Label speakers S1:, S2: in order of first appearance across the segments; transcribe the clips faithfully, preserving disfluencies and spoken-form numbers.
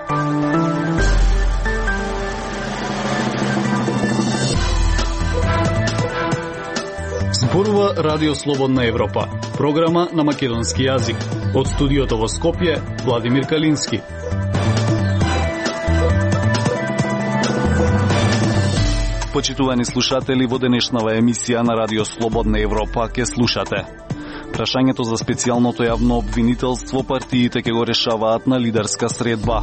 S1: Зборува Радио Слободна Европа, програма на македонски јазик. Од студиото во Скопје, Владимир Калински. Почитувани слушатели, во денешнава емисија на Радио Слободна Европа ке слушате: прашањето за специјалното јавно обвинителство партиите ке го решаваат на лидерска средба.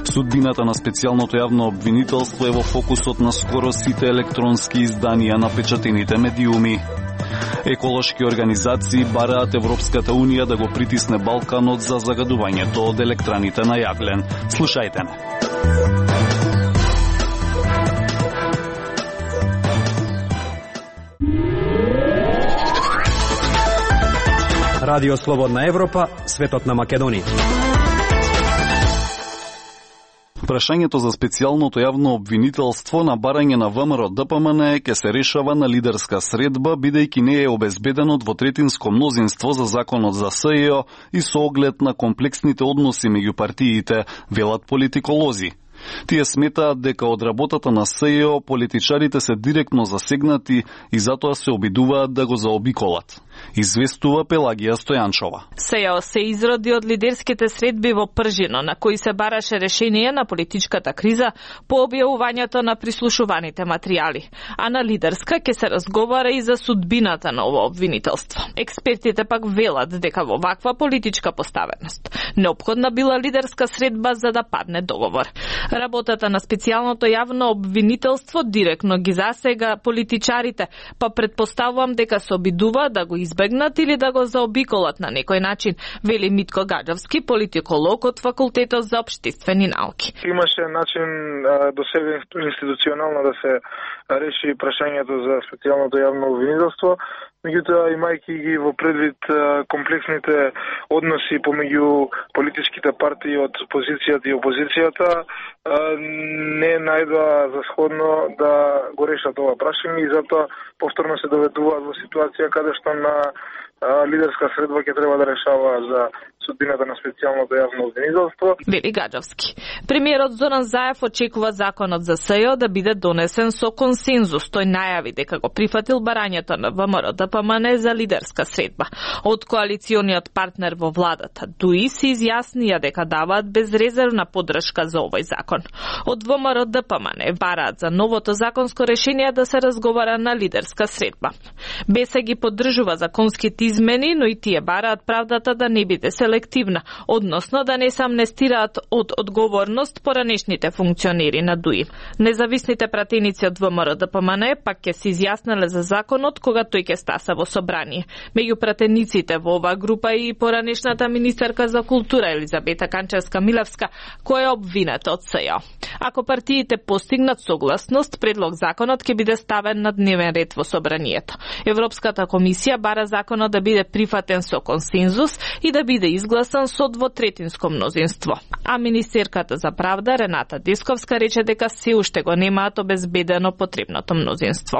S1: Судбината на специјалното јавно обвинителство е во фокусот на скоро сите електронски изданија на печатените медиуми. Еколошки организации бараат Европската Унија да го притисне Балканот за загадувањето од електраните на јаглен. Слушајте ме.
S2: Радио Слободна Европа, светот на Македонија.
S1: Прашањето за специјалното јавно обвинителство на барање на ВМРО Д П М Н ке се решава на лидерска средба, бидејќи не е обезбедено двотретинско мнозинство за законот за С Е О и со оглед на комплексните односи меѓу партиите, велат политиколози. Тие сметаат дека од работата на С Е О политичарите се директно засегнати и затоа се обидуваат да го заобиколат. Известува Пелагија Стојанчова.
S3: С Е О се изроди од лидерските средби во Пржино, на кои се бараше решение на политичката криза по објавувањето на прислушуваните материјали. А на лидерска ќе се разговара и за судбината на ово обвинителство. Експертите пак велат дека во ваква политичка поставеност неопходна била лидерска средба за да падне договор. Работата на специјалното јавно обвинителство директно ги засега политичарите, па предпоставувам дека се обидува да го избегнат или да го заобиколат на некој начин, вели Митко Гаджовски, политиколог од Факултетот за општествени науки.
S4: Имаше начин до сега институционално да се реши прашањето за специјалното јавно обвинителство, меѓутоа имајќи ги во предвид комплексните односи помеѓу политичките партии од позицијата и опозицијата, не најдоа за сходно да го решат ова прашање и затоа повторно се доведуваат во ситуација каде што на лидерска средба ќе треба да решава за судбината на специјалното јавно обвинителство.
S3: Вели Гаджовски. Премиерот Зоран Заев очекува законот за С Е О да биде донесен со консензус. Тој најави дека го прифатил барањето на В М Р Д П М Н за лидерска средба. Од коалициониот партнер во владата ДУИ се изјаснија дека даваат безрезервна поддршка за овој закон. Од В М Р Д П М Н бараат за новото законско решение да се разговара на лидерска средба. Бе се ги поддржува законските измени, но и тие бараат правдата да не биде селективна, односно да не се амнестираат од одговорност поранешните функционери на ДУИ. Независните пратеници од В М Р Д П М Н пак ќе се изјаснеле за законот кога тој ќе стаса во собрание. Меѓу пратениците во оваа група и поранешната министерка за култура Елизабета Канчевска-Милевска, која е обвината од С Е О. Ако партиите постигнат согласност, предлог законот ќе биде ставен на дневен ред во собранието. Европската комисија бара законот да биде прифатен со консензус и да биде изгласан со двотретинско мнозинство. А министерката за правда Рената Десковска рече дека се уште го немаат обезбедено потребното мнозинство.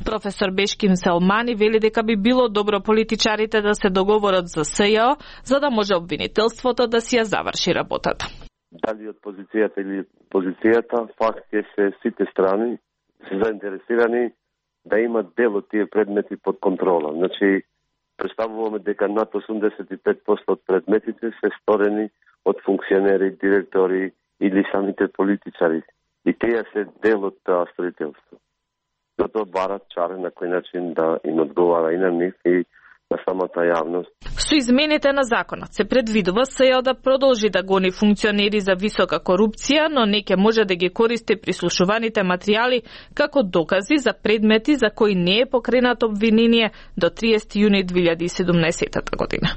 S3: Професор Бешким Селмани вели дека би било добро политичарите да се договорат за С Е О, за да може обвинителството да си ја заврши работата.
S5: Дали од позицијата или позицијата, факт е се сите страни се заинтересирани да имат дел од тие предмети под контрола. Значи, представуваме дека над осумдесет и пет проценти од предметите се сторени од функционери, директори или самите политичари. И тие се дел од строителство. Затоа барат чаре на кој начин да им одговара и на нив и на самата јавност.
S3: Со измените на законот се предвидува С Е О да продолжи да гони функционери за висока корупција, но не ќе може да ги користи прислушуваните материјали како докази за предмети за кои не е покренато обвинение до триесети јуни две илјади и седумнаесета година.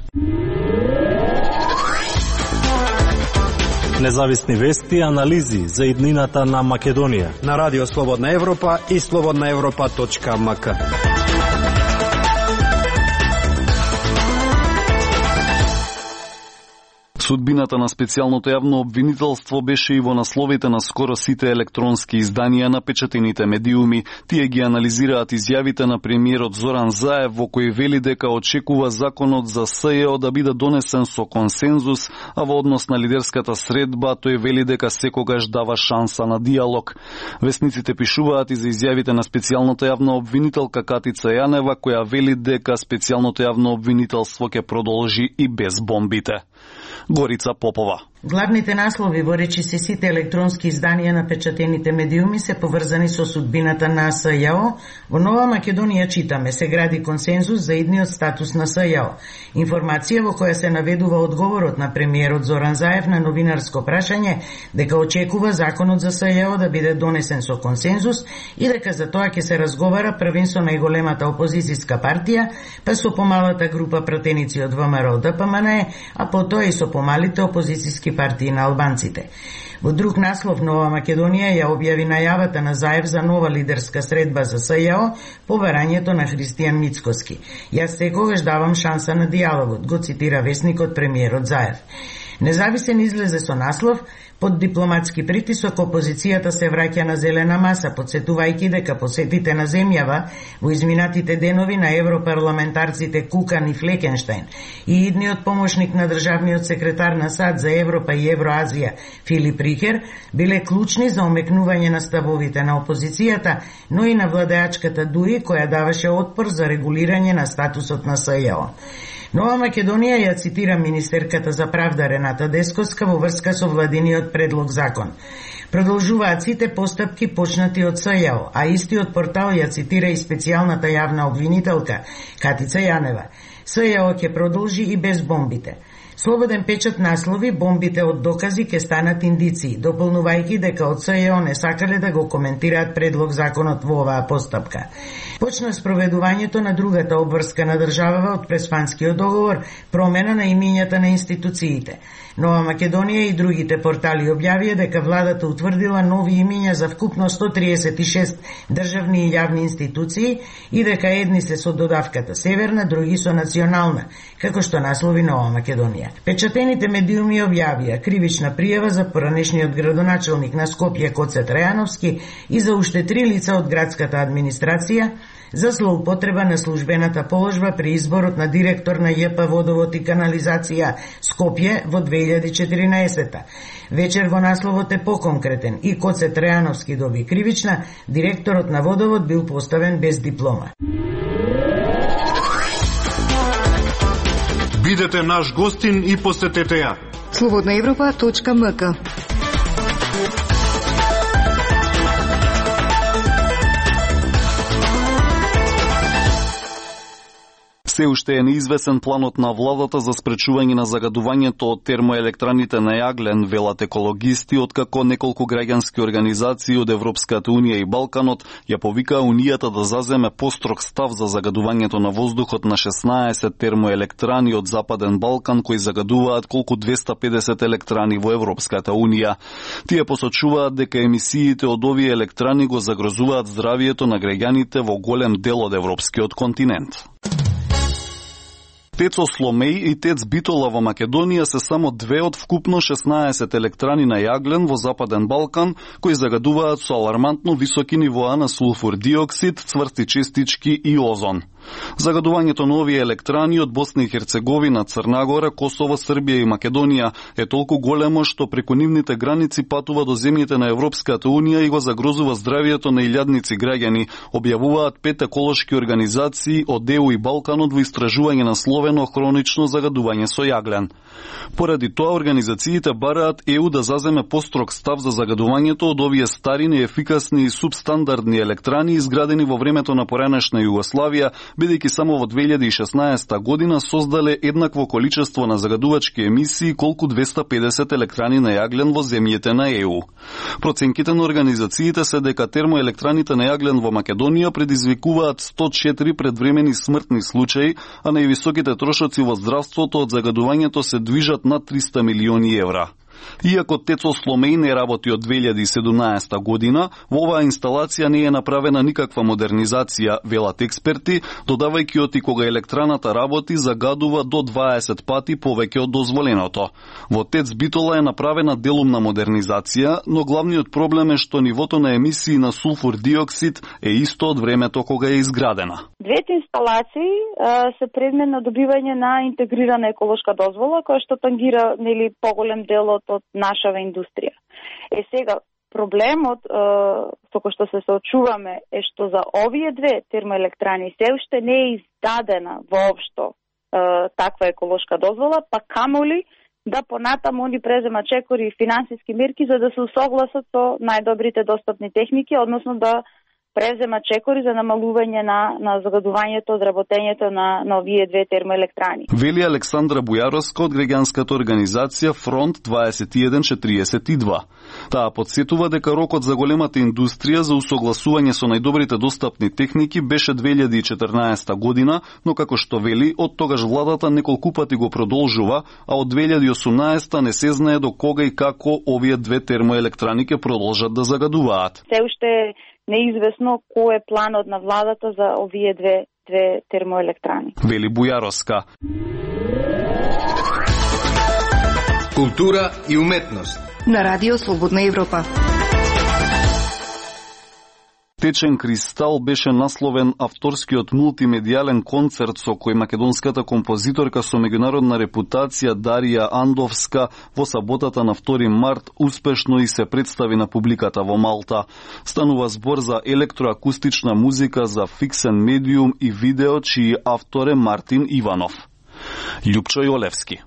S2: Независни вести и анализи за иднината на Македонија на Радио Слободна Европа и слободна европа точка м к.
S1: Судбината на специјалното јавно обвинителство беше и во насловите на скоро сите електронски изданија на печатените медиуми. Тие ги анализираат изјавите на премиерот Зоран Заев во кој вели дека очекува законот за СЈО да биде донесен со консензус, а во однос на лидерската средба тој вели дека секогаш дава шанса на диалог. Весниците пишуваат и за изјавите на специјалната јавна обвинителка Катица Јанева, која вели дека специјалното јавно обвинителство ќе продолжи и без бомбите. Горица Попова.
S6: Главните наслови во речиси сите електронски изданија на печатените медиуми се поврзани со судбината на СЈО. Во Нова Македонија читаме: се гради консензус за идниот статус на СЈО. Информација во која се наведува одговорот на премиерот Зоран Заев на новинарско прашање дека очекува законот за СЈО да биде донесен со консензус и дека за тоа ќе се разговара првен со најголемата опозицијска партија, па со помалата група пратеници од ВМРО Д П М Н Е, а потоа и со помалите опозицијски партии на албанците. Во друг наслов, Нова Македонија ја објави најавата на Заев за нова лидерска средба за СЈО по барањето на Христијан Мицкоски. Јас секогаш давам шанса на диалогот, го цитира весникот премиерот Заев. Независен излезе со наслов: под дипломатски притисок опозицијата се враќа на зелена маса, подсетувајќи дека посетите на земјава во изминатите денови на европарламентарците Кукан и Флекенштајн и идниот помошник на државниот секретар на САД за Европа и Евроазија Филип Рихер биле клучни за омекнување на ставовите на опозицијата, но и на владеачката ДУИ, која даваше отпор за регулирање на статусот на СЈО. Нова Македонија ја цитира министерката за правда Рената Десковска во врска со владиниот предлог закон. Продолжуваат сите постапки почнати од СЈО, а истиот портал ја цитира и специјалната јавна обвинителка Катица Јанева. СЈО ќе продолжи и без бомбите. Слободен печат наслови: бомбите од докази ќе станат индиции, дополнувајќи дека од СЈО не сакале да го коментираат предлог законот во оваа постапка. Почна спроведувањето на другата обврска на државава од Преспанскиот договор, промена на имињата на институциите. Нова Македонија и другите портали објавија дека владата утврдила нови имиња за вкупно сто триесет и шест државни и јавни институции и дека едни се со додавката северна, други со национална, како што наслови Нова Македонија. Печатените медиуми објавија кривична пријава за поранешниот градоначелник на Скопје Коце Трајановски и за уште три лица од градската администрација за злоупотреба на службената положба при изборот на директор на Ј П Водовод и канализација Скопје во две илјади и четиринаесета. Вечер во насловот е поконкретен: и Коце Трајановски доби кривична, директорот на Водовод бил поставен без диплома.
S2: Бидете наш гостин и посетете ја
S7: слободна европа точка м к.
S1: Се уште е неизвесен планот на владата за спречување на загадувањето од термоелектраните на јаглен, велат екологисти, откако неколку граѓански организации од Европската унија и Балканот ја повикаа Унијата да заземе построг став за загадувањето на воздухот на шеснаесет термоелектрани од Западен Балкан кои загадуваат колку двеста педесет електрани во Европската унија. Тие посочуваат дека емисиите од овие електрани го загрозуваат здравието на граѓаните во голем дел од европскиот континент. Тецо Сломеј и Тец Битола во Македонија се само две од вкупно шеснаесет електрани на јаглен во Западен Балкан кои загадуваат со алармантно високи нивоа на сулфур диоксид, цврсти честички и озон. Загадувањето на овие електрани од Босна и Херцеговина, Црна Гора, Косово, Србија и Македонија е толку големо што преку нивните граници патува до земјите на Европската унија и го загрозува здравието на илјадници граѓани, објавуваат пет еколошки организации од Е У и Балканот во истражување на словено хронично загадување со јаглен. Поради тоа организациите бараат Е У да заземе построг став за загадувањето од овие стари, неефикасни и субстандардни електрани изградени во времето на поранешна Југославија, бидејќи само во две илјади и шеснаесета година создале еднакво количество на загадувачки емисии колку двеста педесет електрани на јаглен во земјите на Е У. Проценките на организациите се дека термоелектраните на јаглен во Македонија предизвикуваат сто четири предвремени смртни случаи, а највисоките трошоци во здравството од загадувањето се движат на триста милиони евра. Иако ТЕЦ Сломеј не работи од две илјади и седумнаесета година, во оваа инсталација не е направена никаква модернизација, велат експерти, додавајќи оти кога електраната работи загадува до дваесет пати повеќе од дозволеното. Во ТЕЦ Битола е направена делумна модернизација, но главниот проблем е што нивото на емисии на сулфур диоксид е исто од времето кога е изградена.
S8: Двете инсталации а, се предмет на добивање на интегрирана еколошка дозвола, која што тангира нели поголем дел од, од нашава индустрија. Е сега проблемот а, со кој што се соочуваме е што за овие две термоелектрани се уште не е издадена воопшто а, таква еколошка дозвола, па камоли да понатаму они презема чекори и финансиски мерки за да се усогласат со најдобрите достапни техники, односно да презема чекори за намалување на, на загадувањето, одработењето на, на овие две термоелектрани.
S1: Вели Александра Бујаровска од граѓанската организација Фронт дваесет и еден четириесет и два. Таа подсетува дека рокот за големата индустрија за усогласување со најдобрите достапни техники беше две илјади и четрнаесета година, но како што вели, од тогаш владата неколку пати го продолжува, а од две илјади и осумнаесета не се знае до кога и како овие две термоелектрани ќе продолжат да загадуваат.
S8: Се уште неизвестно кој е планот на владата за овие две, две термоелектрани.
S1: Вели Бујаровска.
S9: Култура и уметност.
S7: На Радио Слободна Европа.
S1: Течен кристал беше насловен авторскиот мултимедијален концерт со кој македонската композиторка со меѓународна репутација Дарија Андовска во саботата на втори март успешно и се представи на публиката во Малта. Станува збор за електроакустична музика за фиксен медиум и видео, чиј автор е Мартин Иванов. Љупчо Јолевски.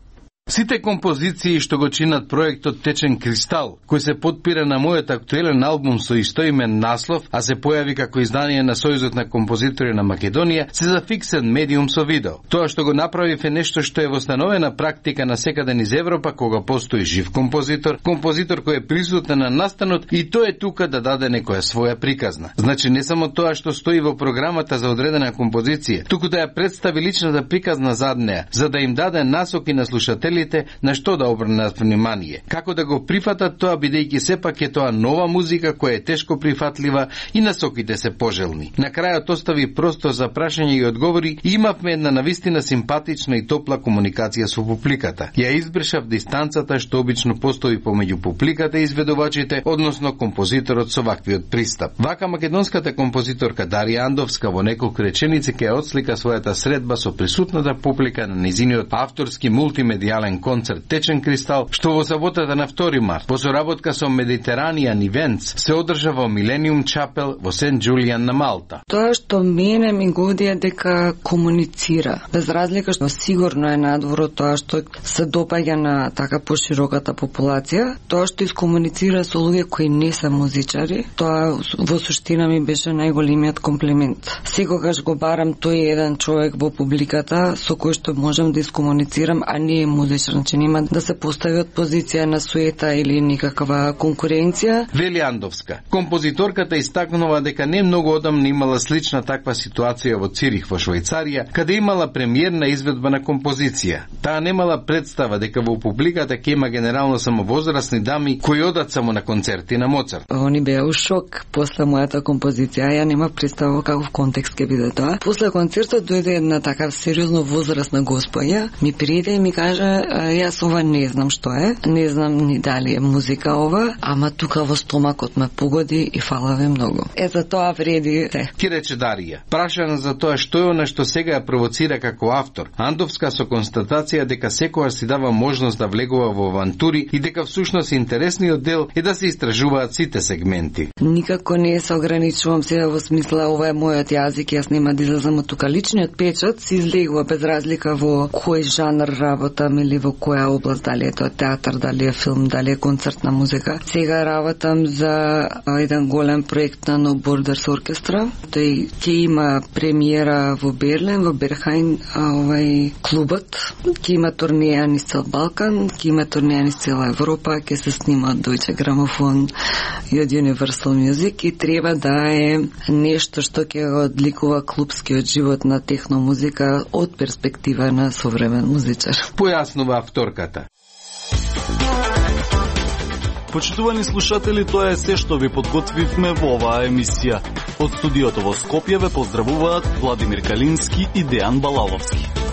S9: Сите композиции што го чинат проектот Течен кристал, кој се подпира на мојот актуелен албум со истоимен наслов, а се појави како издание на Сојузот на композитори на Македонија, се за фиксен медиум со видео. Тоа што го направив е нешто што е восстановена практика на секаде низ Европа кога постои жив композитор, композитор кој е присутен на настанот и тој е тука да даде некоја своја приказна. Значи не само тоа што стои во програмата за одредена композиција, туку да ја представи личната приказна зад неа, за да им даде насоки на слушателите на што да обрнат внимание. Како да го прифатат тоа, бидејќи сепак е тоа нова музика која е тешко прифатлива и насоките се пожелни. На крајот остави простор за прашање и одговори и имавме една навистина симпатична и топла комуникација со публиката. Ја избршав дистанцата што обично постои помеѓу публиката и изведувачите, односно композиторот со ваквиот пристап. Вака македонската композиторка Дарија Андовска во неколку реченици ќе отслика својата средба со присутната публика на низиниот авторски мултимедијален концерт Течен кристал, што во саботата на втори март во соработка со Mediterranean Events се одржа во Millennium Chapel во Сент Џулијан на Малта.
S10: Тоа што мене ми годи е дека комуницира. Без разлика што сигурно е надвор од тоа што се допаѓа на така пошироката популација, тоа што искомуницира со луѓе кои не се музичари, тоа во суштина ми беше најголемиот комплимент. Секогаш го барам тој еден човек во публиката со кој што можам да искомуницирам, а не е музичар, че нема да се постави од позиција на суета или никаква конкуренција.
S9: Вели Андовска. Композиторката истакнува дека не многу одамна имала слична таква ситуација во Цирих во Швајцарија, каде имала премиерна изведба на композиција. Таа немала представа дека во публиката ќе има генерално само возрастни дами кои одат само на концерти на Моцарт.
S10: Они беа у шок после мојата композиција, ја нема представа каков контекст ќе биде тоа. После концертот дојде една така сериозно возрастна господја, ми пријде и ми кажа: јас ова не знам што е, не знам ни дали е музика ова, ама тука во стомакот ме погоди и фала ве многу. Е, за тоа вреди се.
S9: Ки рече Дарија. Прашана за тоа што е она што сега ја провоцира како автор, Андовска со констатација дека секојаш си дава можност да влегува во авантури и дека всушност интересниот дел е да се истражуваат сите сегменти.
S10: Никако не се ограничувам сега во смисла ова е мојот јазик, јас нема да излезам од тука. Личниот печат се излегува без разлика во кој жанр работам или во која област, дали е тоа театар, дали е филм, дали е концертна музика. Сега работам за еден голем проект на No Borders оркестра. Тој ќе има премиера во Берлин, во Берхајн, овај клубот. Ќе има турнеја низ цел Балкан, ќе има турнеја низ цела Европа, ќе се снима од Deutsche Grammophon и од Universal Music и треба да е нешто што ќе го одликува клубскиот живот на техно музика од перспектива на современ музичар.
S9: Појаснува авторката.
S1: Почитувани слушатели, тоа е се што ви подготвивме во оваа емисија. Од студиото во Скопје ве поздравуваат Владимир Калински и Дејан Балаловски.